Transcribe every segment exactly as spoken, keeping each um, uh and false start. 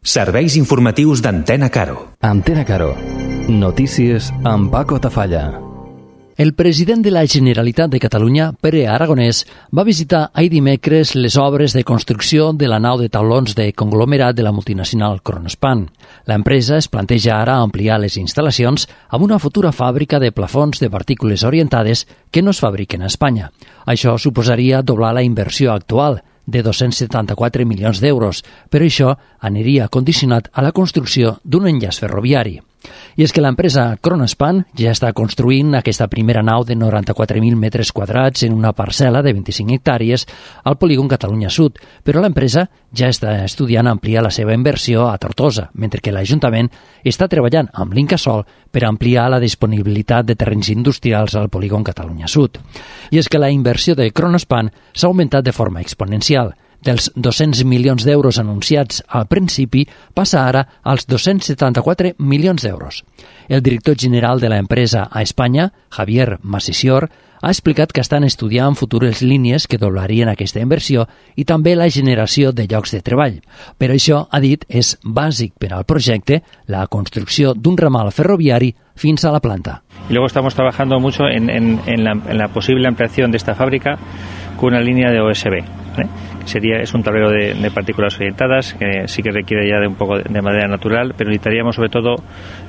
Serveis informatius d'Antena Caro. Antena Caro. Notícies amb Paco Tafalla. El president de la Generalitat de Catalunya, Pere Aragonès, va visitar ahir dimecres les obres de construcció de la nau de taulons de conglomerat de la multinacional Kronospan. L'empresa es planteja ara ampliar les instal·lacions amb una futura fàbrica de plafons de partícules orientades que no es fabriquen a Espanya. Això suposaria doblar la inversió actual, de dos-cents setanta-quatre milions d'euros, però això aniria condicionat a la construcció d'un enllaç ferroviari. I és que l'empresa Kronospan ja està construint aquesta primera nau de noranta-quatre mil metres quadrats en una parcel·la de vint-i-cinc hectàrees al polígon Catalunya Sud, però l'empresa ja està estudiant ampliar la seva inversió a Tortosa, mentre que l'Ajuntament està treballant amb l'Incasòl per ampliar la disponibilitat de terrenys industrials al polígon Catalunya Sud. I és que la inversió de Kronospan s'ha augmentat de forma exponencial. Dels dos-cents milions d'euros anunciats al principi, passa ara als dos-cents setanta-quatre milions d'euros. El director general de l'empresa a Espanya, Javier Masisior, ha explicat que estan estudiant futures línies que doblarien aquesta inversió i també la generació de llocs de treball. Però això, ha dit, és bàsic per al projecte, la construcció d'un ramal ferroviari fins a la planta. Y luego estamos trabajando mucho en, en, en, la, en la posible ampliación de esta fábrica con una línea de O S B. ¿eh? Sería, es un tablero de, de partículas orientadas que sí que requiere ya de un poco de madera natural, pero necesitaríamos sobre todo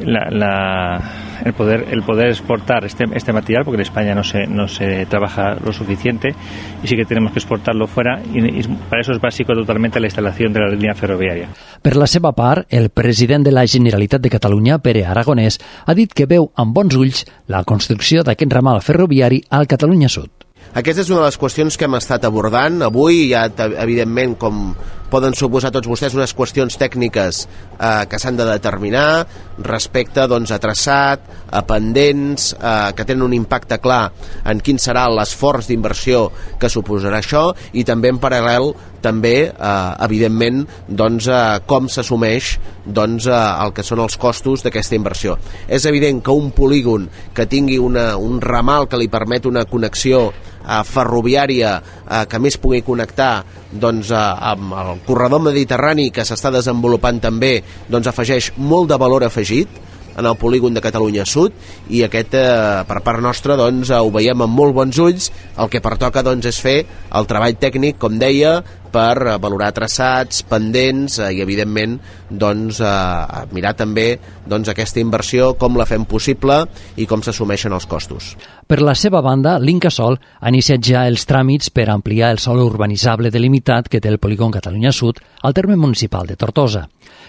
la, la, el poder el poder exportar este, este material, porque en España no se, no se trabaja lo suficiente y sí que tenemos que exportarlo fuera, y, y para eso es básico totalmente la instalación de la línea ferroviària. Per la seva part, el president de la Generalitat de Catalunya, Pere Aragonès, ha dit que veu amb bons ulls la construcció d'aquest ramal ferroviari al Catalunya Sud. Aquesta és una de les qüestions que hem estat abordant. Avui hi ha, evidentment, com poden suposar tots vostès, unes qüestions tècniques eh, que s'han de determinar respecte doncs, a traçat, a pendents, eh, que tenen un impacte clar en quin serà l'esforç d'inversió que suposarà això, i també en paral·lel també, eh, evidentment, doncs, eh, com s'assumeix doncs, eh, el que són els costos d'aquesta inversió. És evident que un polígon que tingui una, un ramal que li permet una connexió eh, ferroviària eh, que més pugui connectar doncs, eh, amb el corredor mediterrani que s'està desenvolupant també, doncs afegeix molt de valor afegit en el polígon de Catalunya Sud, i aquest eh, per part nostra doncs, eh, ho veiem amb molt bons ulls. El que pertoca doncs, és fer el treball tècnic, com deia, per eh, valorar traçats, pendents eh, i evidentment doncs, eh, mirar també doncs, aquesta inversió, com la fem possible i com s'assumeixen els costos. Per la seva banda, l'Incasòl ha iniciat ja els tràmits per ampliar el sòl urbanitzable delimitat que té el polígon Catalunya Sud al terme municipal de Tortosa.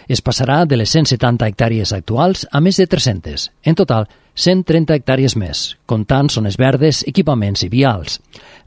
Es passarà de les cent setanta hectàrees actuals a més de tres-centes. En total, cent trenta hectàrees més, comptant zones verdes, equipaments i vials.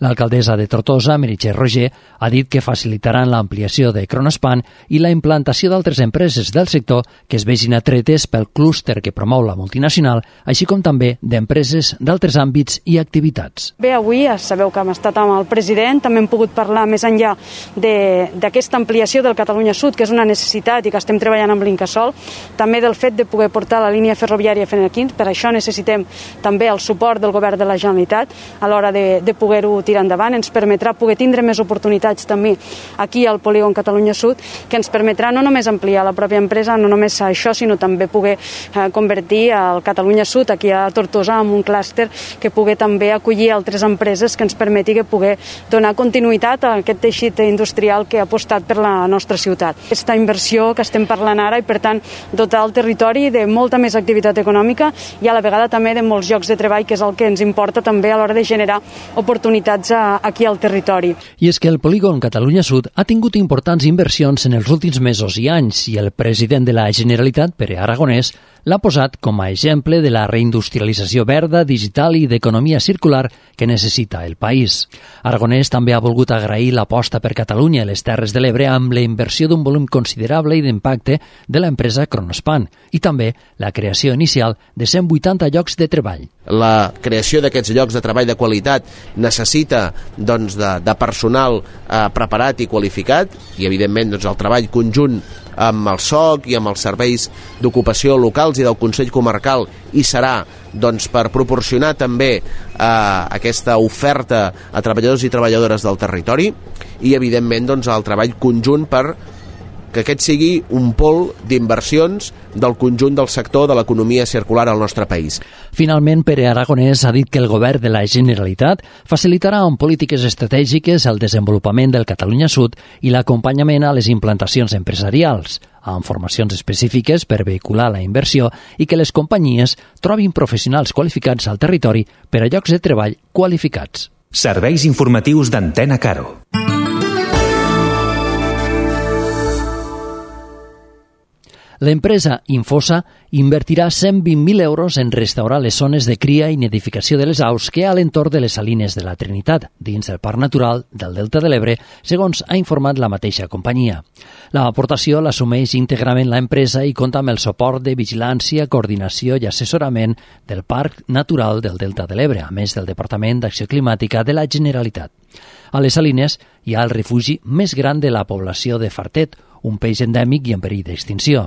L'alcaldessa de Tortosa, Meritxell Roger, ha dit que facilitaran l'ampliació de Kronospan i la implantació d'altres empreses del sector que es vegin atretes pel clúster que promou la multinacional, així com també d'empreses d'altres àmbits i activitats. Bé, avui sabeu que hem estat amb el president, també hem pogut parlar més enllà d'aquesta ampliació del Catalunya Sud, que és una necessitat i que estem treballant amb l'Incasòl, també del fet de poder portar la línia ferroviària fins aquí. Per això necessitem també el suport del govern de la Generalitat a l'hora de, de poder-ho tirar endavant. Ens permetrà poder tindre més oportunitats també aquí al polígon Catalunya Sud, que ens permetrà no només ampliar la pròpia empresa, no només això, sinó també poder eh, convertir el Catalunya Sud aquí a Tortosa en un clúster que pugui també acollir altres empreses, que ens permeti que pugui donar continuïtat a aquest teixit industrial que ha apostat per la nostra ciutat. Aquesta inversió que estem parlant ara, i per tant dotar el territori de molta més activitat econòmica i a la vegada també de molts llocs de treball, que és el que ens importa també a l'hora de generar oportunitats a, aquí al territori. I és que el polígon Catalunya Sud ha tingut importants inversions en els últims mesos i anys, i el president de la Generalitat, Pere Aragonès, l'ha posat com a exemple de la reindustrialització verda, digital i d'economia circular que necessita el país. Aragonès també ha volgut agrair l'aposta per Catalunya i les Terres de l'Ebre amb la inversió d'un volum considerable i d'impacte de l'empresa Kronospan, i també la creació inicial de cent vuitanta llocs de treball. La creació d'aquests llocs de treball de qualitat necessita doncs, de, de personal eh, preparat i qualificat, i evidentment doncs, el treball conjunt amb el S O C i amb els serveis d'ocupació locals i del Consell Comarcal hi serà doncs, per proporcionar també eh, aquesta oferta a treballadors i treballadores del territori, i evidentment doncs, el treball conjunt per que aquest sigui un pol d'inversions del conjunt del sector de l'economia circular al nostre país. Finalment, Pere Aragonès ha dit que el govern de la Generalitat facilitarà amb polítiques estratègiques el desenvolupament del Catalunya Sud i l'acompanyament a les implantacions empresarials, amb formacions específiques per vehicular la inversió i que les companyies trobin professionals qualificats al territori per a llocs de treball qualificats. Serveis informatius d'Antena Caro. L'empresa Infosa invertirà cent vint mil euros en restaurar les zones de cria i nidificació de les aus que hi ha a l'entorn de les Salines de la Trinitat, dins del Parc Natural del Delta de l'Ebre, segons ha informat la mateixa companyia. L'aportació l'assumeix íntegrament l'empresa i compta amb el suport de vigilància, coordinació i assessorament del Parc Natural del Delta de l'Ebre, a més del Departament d'Acció Climàtica de la Generalitat. A les Salines hi ha el refugi més gran de la població de Fartet, un peix endèmic i en perill d'extinció.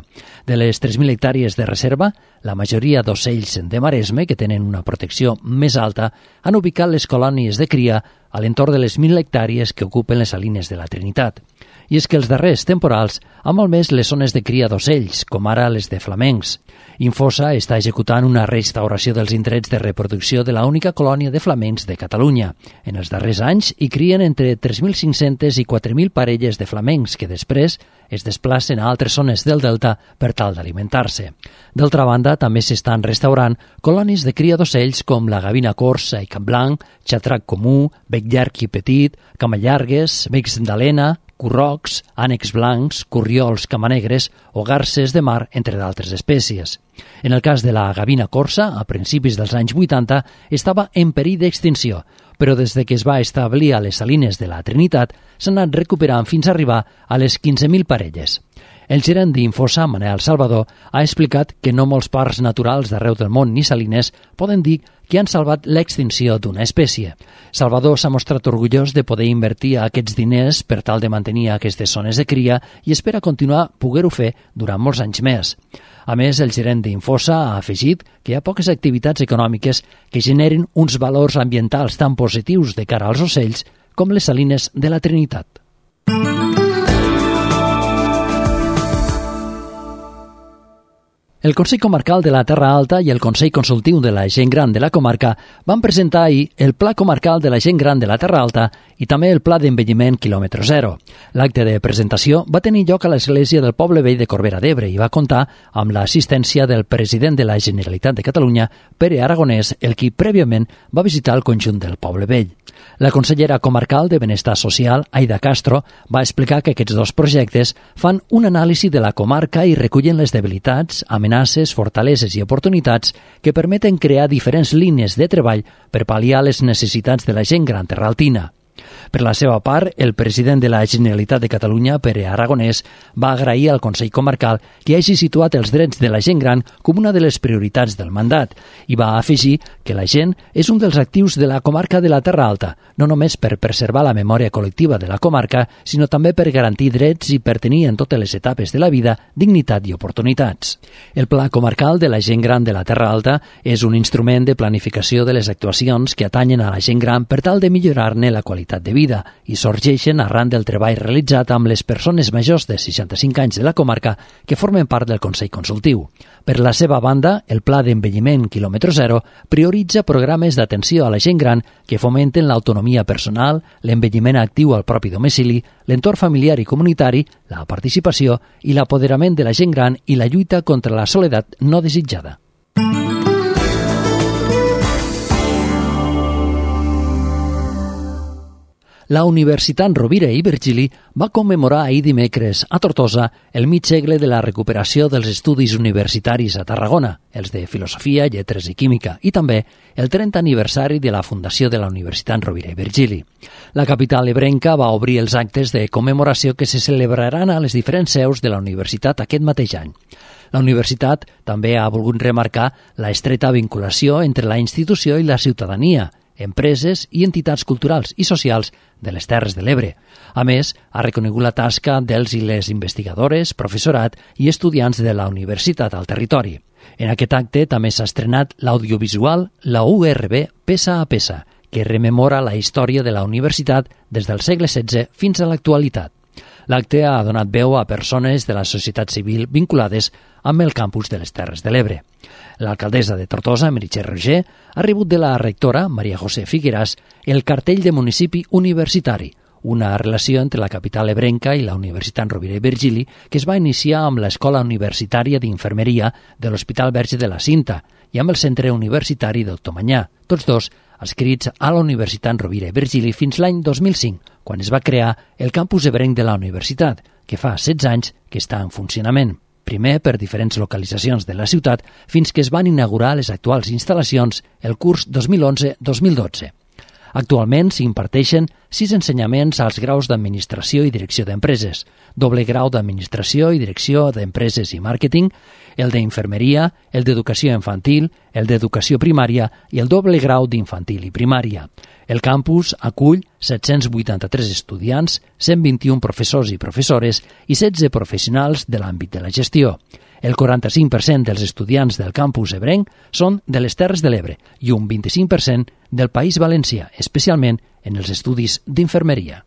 De les tres mil hectàrees de reserva, la majoria d'ocells de Maresme, que tenen una protecció més alta, han ubicat les colònies de cria a l'entorn de les mil hectàrees que ocupen les Salines de la Trinitat. I és que els darrers temporals han malmès les zones de cria d'ocells, com ara les de flamencs. Infosa està executant una restauració dels indrets de reproducció de la única colònia de flamencs de Catalunya. En els darrers anys hi crien entre tres mil cinc-centes i quatre mil parelles de flamencs que després es desplacen a altres zones del delta per tal d'alimentar-se. D'altra banda, també s'estan restaurant colònies de cria d'ocells com la gavina corsa i capblanc, xatrac comú, bec llarg i petit, camallargues, becs d'alena, currocs, ànecs blancs, corriols camanegres o garces de mar, entre d'altres espècies. En el cas de la gavina corsa, a principis dels anys vuitanta, estava en perill d'extinció, però des de que es va establir a les Salines de la Trinitat s'han anat recuperant fins a arribar a les quinze mil parelles. El gerent d'Infosa, Manel Salvador, ha explicat que no molts parcs naturals d'arreu del món ni salines poden dir que han salvat l'extinció d'una espècie. Salvador s'ha mostrat orgullós de poder invertir aquests diners per tal de mantenir aquestes zones de cria i espera continuar poder-ho fer durant molts anys més. A més, el gerent d'Infosa ha afegit que hi ha poques activitats econòmiques que generen uns valors ambientals tan positius de cara als ocells com les Salines de la Trinitat. El Consell Comarcal de la Terra Alta i el Consell Consultiu de la Gent Gran de la comarca van presentar ahir el Pla Comarcal de la Gent Gran de la Terra Alta i també el Pla d'Envelliment quilòmetre zero. L'acte de presentació va tenir lloc a l'església del Poble Vell de Corbera d'Ebre i va comptar amb l'assistència del president de la Generalitat de Catalunya, Pere Aragonès, el qui prèviament va visitar el conjunt del Poble Vell. La consellera comarcal de Benestar Social, Aida Castro, va explicar que aquests dos projectes fan un anàlisi de la comarca i recullen les debilitats, amenaces, fortaleses i oportunitats que permeten crear diferents línies de treball per pal·liar les necessitats de la gent gran terraltina. Per la seva part, el president de la Generalitat de Catalunya, Pere Aragonès, va agrair al Consell Comarcal que hagi situat els drets de la gent gran com una de les prioritats del mandat i va afegir que la gent és un dels actius de la comarca de la Terra Alta, no només per preservar la memòria col·lectiva de la comarca, sinó també per garantir drets i per tenir en totes les etapes de la vida dignitat i oportunitats. El Pla Comarcal de la Gent Gran de la Terra Alta és un instrument de planificació de les actuacions que atanyen a la gent gran per tal de millorar-ne la qualitat de vida i sorgeixen arran del treball realitzat amb les persones majors de seixanta-cinc anys de la comarca que formen part del Consell Consultiu. Per la seva banda, el Pla d'Envelliment quilòmetre zero prioritza programes d'atenció a la gent gran que fomenten l'autonomia personal, l'envelliment actiu al propi domicili, l'entorn familiar i comunitari, la participació i l'apoderament de la gent gran i la lluita contra la soledat no desitjada. La Universitat Rovira i Virgili va commemorar ahir dimecres a Tortosa el mig segle de la recuperació dels estudis universitaris a Tarragona, els de Filosofia, Lletres i Química, i també el trentè aniversari de la fundació de la Universitat Rovira i Virgili. La capital ebrenca va obrir els actes de commemoració que se celebraran a les diferents seus de la universitat aquest mateix any. La universitat també ha volgut remarcar la estreta vinculació entre la institució i la ciutadania, empreses i entitats culturals i socials de les Terres de l'Ebre. A més, ha reconegut la tasca dels i les investigadores, professorat i estudiants de la universitat al territori. En aquest acte també s'ha estrenat l'audiovisual La U R B Peça a Peça, que rememora la història de la universitat des del segle setze fins a l'actualitat. L'acte ha donat veu a persones de la societat civil vinculades amb el campus de les Terres de l'Ebre. L'alcaldessa de Tortosa, Meritxell Roger, ha rebut de la rectora, Maria José Figueras, el cartell de municipi universitari, una relació entre la capital ebrenca i la Universitat Rovira i Virgili que es va iniciar amb l'Escola Universitària d'Infermeria de l'Hospital Verge de la Cinta i amb el Centre Universitari Doctor Manyà, tots dos adscrits a la Universitat Rovira i Virgili fins l'any dos mil cinc, quan es va crear el campus ebrenc de la universitat, que fa setze anys que està en funcionament. Primer per diferents localitzacions de la ciutat, fins que es van inaugurar les actuals instal·lacions el curs dos mil onze dos mil dotze. Actualment s'hi imparteixen sis ensenyaments als graus d'Administració i Direcció d'Empreses, doble grau d'Administració i Direcció d'Empreses i Màrqueting, el d'Infermeria, el d'Educació Infantil, el d'Educació Primària i el doble grau d'Infantil i Primària. El campus acull set-cents vuitanta-tres estudiants, cent vint-i-un professors i professores i setze professionals de l'àmbit de la gestió. El quaranta-cinc per cent dels estudiants del campus ebrenc són de les Terres de l'Ebre i un vint-i-cinc per cent del País Valencià, especialment en els estudis d'infermeria.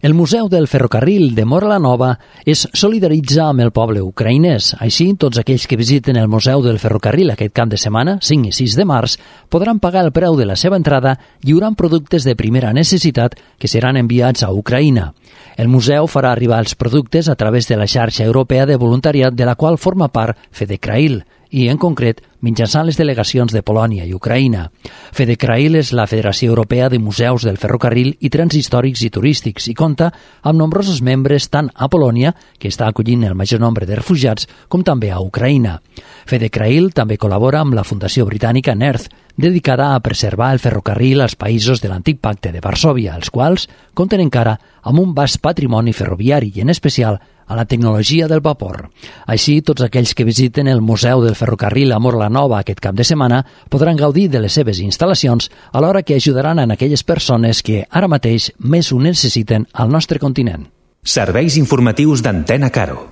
El Museu del Ferrocarril de Móra la Nova es solidaritza amb el poble ucraïnès. Així, tots aquells que visiten el Museu del Ferrocarril aquest cap de setmana, cinc i sis de març, podran pagar el preu de la seva entrada lliurant productes de primera necessitat que seran enviats a Ucraïna. El museu farà arribar els productes a través de la xarxa europea de voluntariat de la qual forma part FedeCrail, i, en concret, mitjançant les delegacions de Polònia i Ucraïna. FedeCrail és la Federació Europea de Museus del Ferrocarril i Trens Històrics i Turístics i compta amb nombrosos membres tant a Polònia, que està acollint el major nombre de refugiats, com també a Ucraïna. FedeCrail també col·labora amb la Fundació Britànica NERTH, dedicada a preservar el ferrocarril als països de l'antic Pacte de Varsòvia, els quals compten encara amb un vast patrimoni ferroviari i, en especial, a la tecnologia del vapor. Així, tots aquells que visiten el Museu del Ferrocarril a Móra la Nova aquest cap de setmana podran gaudir de les seves instal·lacions, alhora que ajudaran a aquelles persones que ara mateix més ho necessiten al nostre continent. Serveis informatius d'Antena Caro.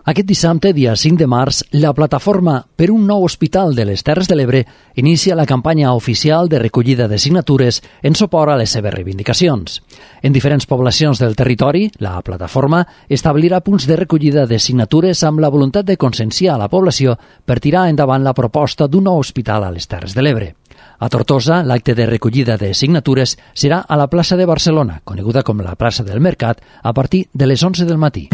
Aquest dissabte, dia cinc de març, la plataforma per un nou hospital de les Terres de l'Ebre inicia la campanya oficial de recollida de signatures en suport a les seves reivindicacions. En diferents poblacions del territori, la plataforma establirà punts de recollida de signatures amb la voluntat de conscienciar a la població per tirar endavant la proposta d'un nou hospital a les Terres de l'Ebre. A Tortosa, l'acte de recollida de signatures serà a la plaça de Barcelona, coneguda com la plaça del Mercat, a partir de les onze del matí.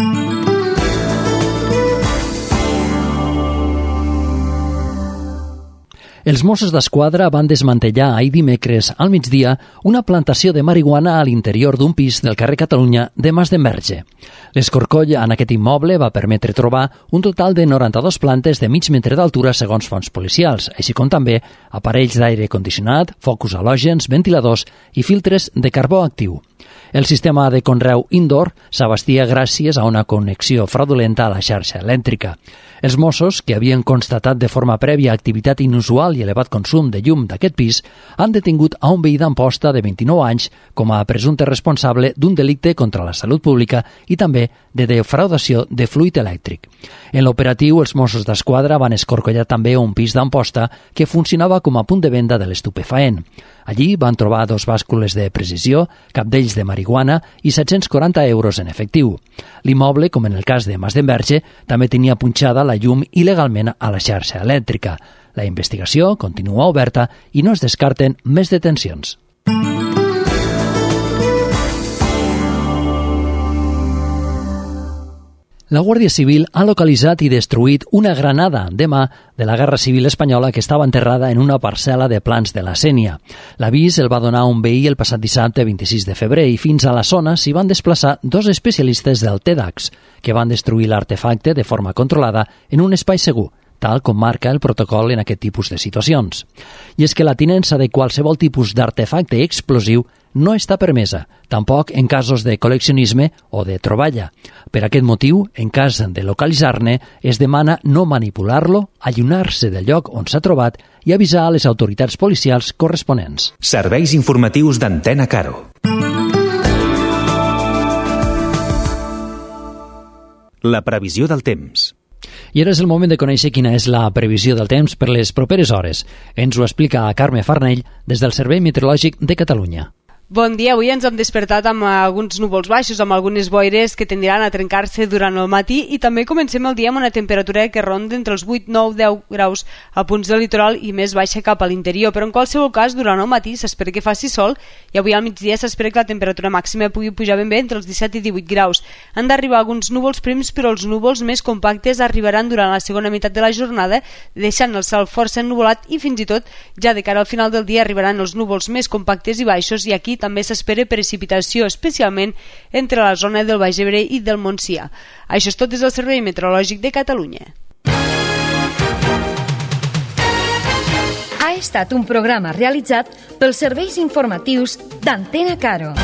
Els Mossos d'Esquadra van desmantellar ahir dimecres al migdia una plantació de marihuana a l'interior d'un pis del carrer Catalunya de Mas d'Enverge. L'escorcoll en aquest immoble va permetre trobar un total de noranta-dues plantes de mig metre d'altura segons fonts policials, així com també aparells d'aire condicionat, focus halògens, ventiladors i filtres de carbó actiu. El sistema de conreu indoor s'abastia gràcies a una connexió fraudulenta a la xarxa elèctrica. Els Mossos, que havien constatat de forma prèvia activitat inusual i elevat consum de llum d'aquest pis, han detingut a un veí d'Amposta de vint-i-nou anys com a presumpte responsable d'un delicte contra la salut pública i també de defraudació de fluid elèctric. En l'operatiu, els Mossos d'Esquadra van escorcollar també un pis d'Amposta que funcionava com a punt de venda de l'estupefaent. Allí van trobar dos bàscules de precisió, cap d'ells de marihuana i set-cents quaranta euros en efectiu. L'immoble, com en el cas de Mas d'Enverge, també tenia punxada la llum il·legalment a la xarxa elèctrica. La investigació continua oberta i no es descarten més detencions. La Guàrdia Civil ha localitzat i destruït una granada de mà de la Guerra Civil Espanyola que estava enterrada en una parcel·la de Plans de la Sénia. L'avís el va donar un veí el passat dissabte vint-i-sis de febrer i fins a la zona s'hi van desplaçar dos especialistes del TEDx que van destruir l'artefacte de forma controlada en un espai segur, tal com marca el protocol en aquest tipus de situacions. I és que la tinença de qualsevol tipus d'artefacte explosiu no està permesa, tampoc en casos de col·leccionisme o de troballa. Per aquest motiu, en cas de localitzar-ne, es demana no manipular-lo, allunyar-se del lloc on s'ha trobat i avisar a les autoritats policials corresponents. Serveis informatius d'Antena Caro. La previsió del temps. I ara és el moment de conèixer quina és la previsió del temps per les properes hores. Ens ho explica Carme Farnell des del Servei Meteorològic de Catalunya. Bon dia, avui ens hem despertat amb alguns núvols baixos, amb algunes boires que tendiran a trencar-se durant el matí i també comencem el dia amb una temperatura que ronda entre els vuit, nou, deu graus a punts del litoral i més baixa cap a l'interior, però en qualsevol cas durant el matí s'espera que faci sol i avui al migdia s'espera que la temperatura màxima pugui pujar ben bé entre els disset i divuit graus. Han d'arribar alguns núvols prims, però els núvols més compactes arribaran durant la segona meitat de la jornada, deixant el cel força ennuvolat i fins i tot ja de cara al final del dia arribaran els núvols més compactes i baixos i aquí també s'espera precipitació, especialment entre la zona del Baix Ebre i del Montsià. Això és tot des del Servei Meteorològic de Catalunya. Ha estat un programa realitzat pels serveis informatius d'Antena Caro.